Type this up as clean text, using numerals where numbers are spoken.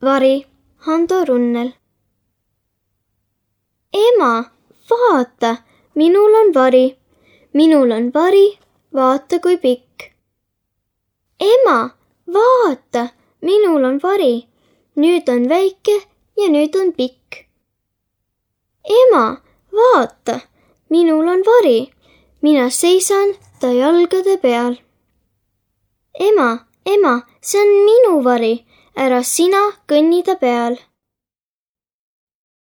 Vari, Hando Runnel. Ema, vaata, minul on vari. Minul on vari, vaata kui pikk. Ema, vaata, minul on vari. Nüüd on väike ja nüüd on pikk. Ema, vaata, minul on vari. Mina seisan ta jalgade peal. Ema, see on minu vari. Ära sina kõnni ta peal.